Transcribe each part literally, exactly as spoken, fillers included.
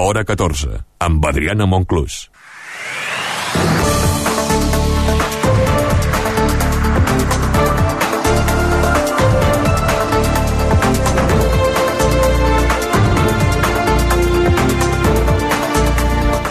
hora catorze, amb Adriana Monclús.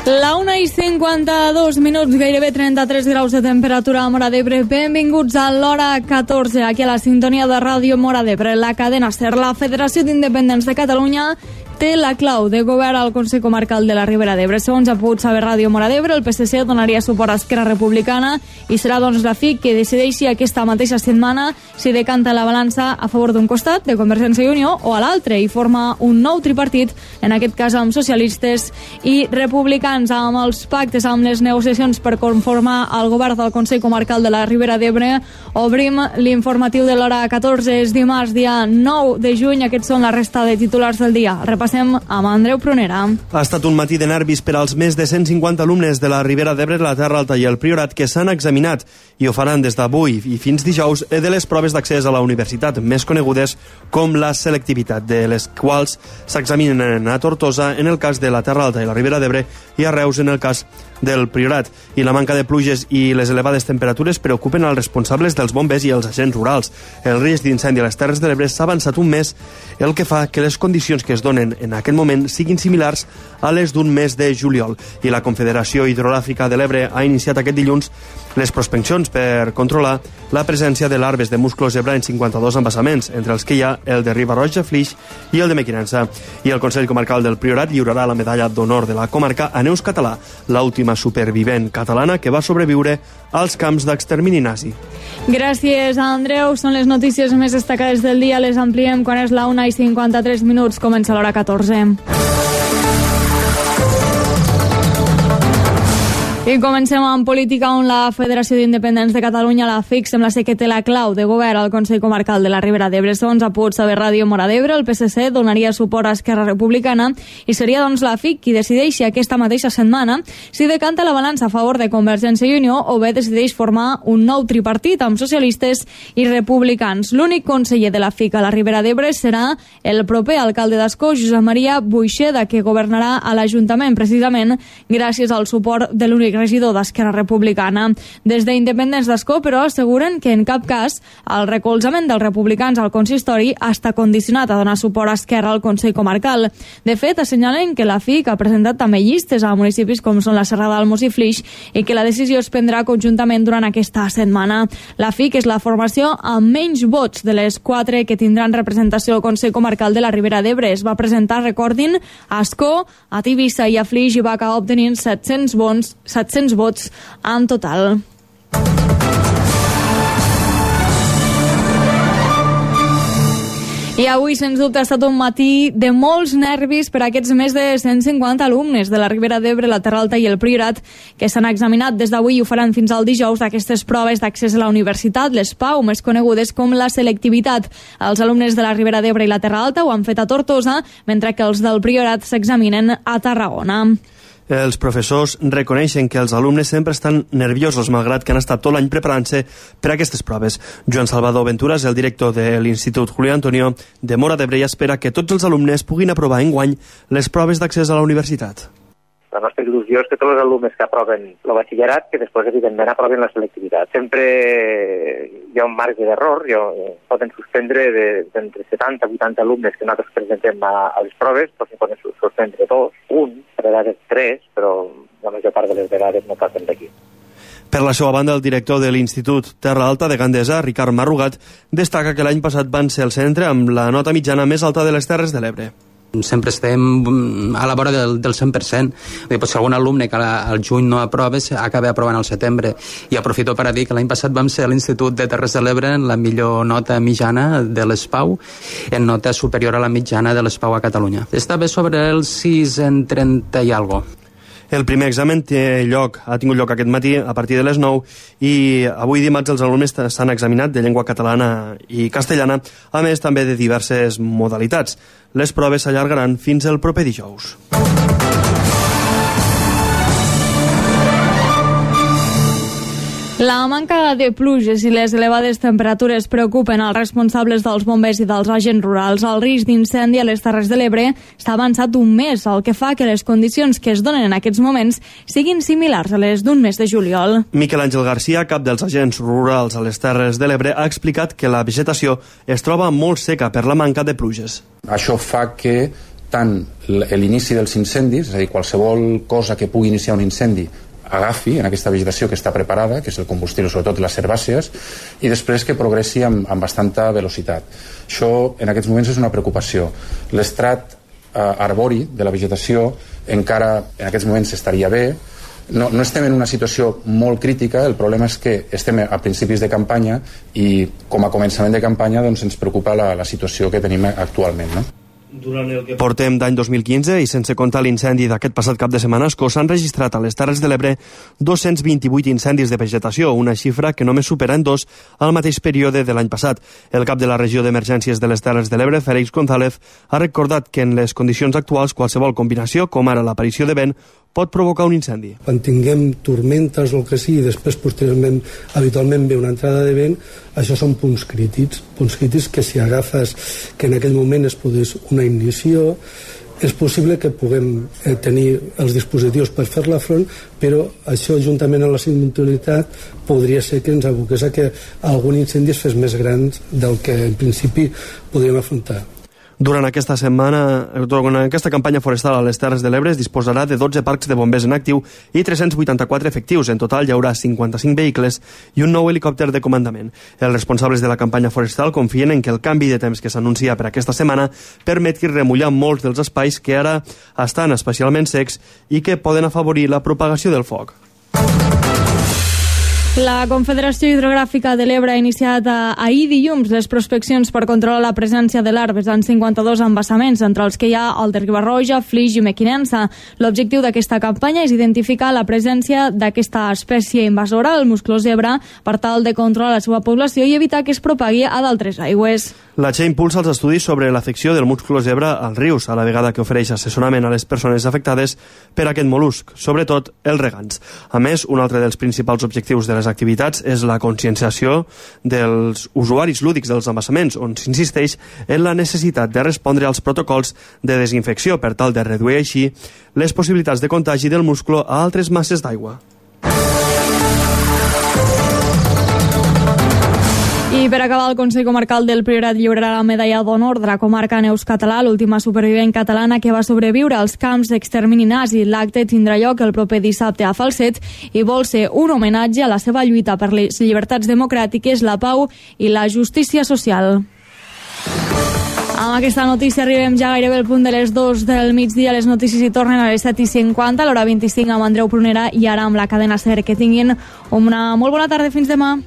La una i cinquanta-dos minuts, gairebé trenta-tres graus de temperatura a Móra d'Ebre. Benvinguts a l'hora catorze, aquí a la sintonia de Ràdio Móra d'Ebre, la cadena SER. La Federació d'Independents de Catalunya té la clau de govern al Consell Comarcal de la Ribera d'Ebre. Segons ha pogut saber Ràdio Móra d'Ebre, el P S C donaria suport a Esquerra Republicana i serà doncs la F I C que decideixi aquesta mateixa setmana si decanta la balança a favor d'un costat, de Convergència i Unió, o a l'altre, i forma un nou tripartit, en aquest cas amb socialistes i republicans. Amb els pactes, amb les negociacions per conformar el govern del Consell Comarcal de la Ribera d'Ebre, obrim l'informatiu de l'hora catorze. És dimarts, dia nou de juny. Aquests són la resta de titulars del dia. Repassem amb Andreu Prunera. Ha estat un matí de nervis per als més de cent cinquanta alumnes de la Ribera d'Ebre, la Terra Alta i el Priorat que s'han examinat i ho faran des d'avui i fins dijous de les proves d'accés a la universitat, més conegudes com la selectivitat, de les quals s'examinen a Tortosa en el cas de la Terra Alta i la Ribera d'Ebre i a Reus en el cas del Priorat. I la manca de pluges i les elevades temperatures preocupen als responsables dels bombers i els agents rurals. El risc d'incendi a les Terres de l'Ebre s'ha avançat un mes, el que fa que les condicions que es donen en aquest moment siguin similars a les d'un mes de juliol. I la Confederació Hidrogràfica de l'Ebre ha iniciat aquest dilluns les prospeccions per controlar la presència de larves de musclo zebra en cinquanta-dos embassaments, entre els que hi ha el de Riba-roja, Flix i el de Mequinensa. I el Consell Comarcal del Priorat lliurarà la medalla d'honor de la comarca a Neus Català, l'última supervivent catalana que va sobreviure als camps d'extermini nazi. Gràcies, Andreu. Són les notícies més destacades del dia. Les ampliem quan és la una i cinquanta-tres minuts. Comença l'hora catorze. I comencem amb política, on la Federació d'Independents de Catalunya, la F I C, sembla ser que té la clau de govern al Consell Comarcal de la Ribera d'Ebre. Segons ha pogut saber Ràdio Móra d'Ebre, el P S C donaria suport a Esquerra Republicana i seria doncs la F I C qui decideixi aquesta mateixa setmana si decanta la balança a favor de Convergència i Unió o bé decideix formar un nou tripartit amb socialistes i republicans. L'únic conseller de la F I C a la Ribera d'Ebre serà el proper alcalde d'Ascó, Josep Maria Buixeda, que governarà a l'Ajuntament precisament gràcies al suport de l'únic regidor d'Esquerra Republicana. Des d'Independents d'Ascó, però, asseguren que en cap cas el recolzament dels republicans al consistori està condicionat a donar suport a Esquerra al Consell Comarcal. De fet, assenyalen que la F I C ha presentat també llistes a municipis com són la Serrada d'Almos i Flix i que la decisió es prendrà conjuntament durant aquesta setmana. La F I C és la formació amb menys vots de les quatre que tindran representació al Consell Comarcal de la Ribera d'Ebre. Es va presentar, recordin, a Ascó, a Tivissa i a Flix i va acabar obtenint set-cents vots, set-cents vots en total. I avui, sens dubte, ha estat un matí de molts nervis per a aquests més de cent cinquanta alumnes de la Ribera d'Ebre, la Terra Alta i el Priorat, que s'han examinat des d'avui i ho faran fins al dijous d'aquestes proves d'accés a la universitat, les PAU, més conegudes com la selectivitat. Els alumnes de la Ribera d'Ebre i la Terra Alta ho han fet a Tortosa, mentre que els del Priorat s'examinen a Tarragona. Els professors reconeixen que els alumnes sempre estan nerviosos, malgrat que han estat tot l'any preparant-se per a aquestes proves. Joan Salvador Ventura és el director de l'Institut Julio Antonio de Móra d'Ebre i espera que tots els alumnes puguin aprovar enguany les proves d'accés a la universitat. La nostra il·lusió és que tots els alumnes que aproven el batxillerat, que després, evidentment, aproven la selectivitat. Sempre hi ha un marge d'error, poden suspendre d'entre setanta a vuitanta alumnes que nosaltres presentem a, a les proves, però se poden suspendre dos, un, per vegades tres, però la major part de les vegades no passen d'aquí. Per la seva banda, el director de l'Institut Terra Alta de Gandesa, Ricard Marrugat, destaca que l'any passat van ser el centre amb la nota mitjana més alta de les Terres de l'Ebre. Sempre estem a la vora del, del cent per cent. Pues, si algun alumne que al juny no aprova acaba aprovant al setembre. I aprofito per a dir que l'any passat vam ser a l'Institut de Terres de l'Ebre en la millor nota mitjana de les PAU, en nota superior a la mitjana de les PAU a Catalunya. Estava sobre el sis en trenta i algo. El primer examen té lloc, ha tingut lloc aquest matí a partir de les nou i avui dimarts els alumnes s'han examinat de llengua catalana i castellana, a més també de diverses modalitats. Les proves s'allargaran fins el proper dijous. La manca de pluges i les elevades temperatures preocupen els responsables dels bombers i dels agents rurals. El risc d'incendi a les Terres de l'Ebre està avançat un mes, el que fa que les condicions que es donen en aquests moments siguin similars a les d'un mes de juliol. Miquel Àngel Garcia, cap dels agents rurals a les Terres de l'Ebre, ha explicat que la vegetació es troba molt seca per la manca de pluges. Això fa que tant l'inici dels incendis, és a dir, qualsevol cosa que pugui iniciar un incendi, agafi en aquesta vegetació que està preparada, que és el combustible, sobretot les herbàcies, i després que progressi amb, amb bastanta velocitat. Això en aquests moments és una preocupació. L'estrat eh, arbori de la vegetació encara en aquests moments estaria bé. No, no estem en una situació molt crítica, el problema és que estem a principis de campanya i com a començament de campanya doncs, ens preocupa la, la situació que tenim actualment, no? Durant el que portem d'any dos mil quinze i sense comptar l'incendi d'aquest passat cap de setmana, s'han registrat a les Terres de l'Ebre dos-cents vint-i-vuit incendis de vegetació, una xifra que només supera en dos al mateix període de l'any passat. El cap de la regió d'emergències de les Terres de l'Ebre, Félix González, ha recordat que en les condicions actuals qualsevol combinació, com ara l'aparició de vent, pot provocar un incendi. Quan tinguem tormentes o el que sigui, després posteriorment habitualment ve una entrada de vent, això són punts crítics, punts crítics que si agafes que en aquell moment es produeix una ignició, és possible que puguem eh, tenir els dispositius per fer-la front, però això juntament amb la sinistralitat podria ser que ens aboqués a que algun incendi es fes més gran del que en principi podríem afrontar. Durant aquesta setmana, durant aquesta campanya forestal a les Terres de l'Ebre es disposarà de dotze parcs de bombers en actiu i tres-cents vuitanta-quatre efectius. En total hi haurà cinquanta-cinc vehicles i un nou helicòpter de comandament. Els responsables de la campanya forestal confien en que el canvi de temps que s'anuncia per aquesta setmana permeti remullar molts dels espais que ara estan especialment secs i que poden afavorir la propagació del foc. La Confederació Hidrogràfica de l'Ebre ha iniciat ahir dilluns les prospeccions per controlar la presència de larves en cinquanta-dos embassaments, entre els que hi ha el de Riba-roja, Flix i Mequinensa. L'objectiu d'aquesta campanya és identificar la presència d'aquesta espècie invasora, el muscló zebra, per tal de controlar la seva població i evitar que es propagui a d'altres aigües. La Che impulsa els estudis sobre l'afecció del muscló zebra als rius, a la vegada que ofereix assessorament a les persones afectades per aquest mol·lusc, sobretot els regants. A més, un altre dels principals objectius de les activitats és la conscienciació dels usuaris lúdics dels embassaments, on s'insisteix en la necessitat de respondre als protocols de desinfecció per tal de reduir així les possibilitats de contagi del musclo a altres masses d'aigua. I per acabar, el Consell Comarcal del Priorat lliurarà la medalla d'honor de la comarca Neus Català, l'última supervivent catalana que va sobreviure als camps d'extermini nazi. L'acte tindrà lloc el proper dissabte a Falset i vol ser un homenatge a la seva lluita per les llibertats democràtiques, la pau i la justícia social. Amb aquesta notícia arribem ja gairebé al punt de les dues del migdia. Les notícies hi tornen a les set i cinquanta, a l'hora vint-i-cinc amb Andreu Prunera i ara amb la cadena SER. Que tinguin una molt bona tarda. Fins demà.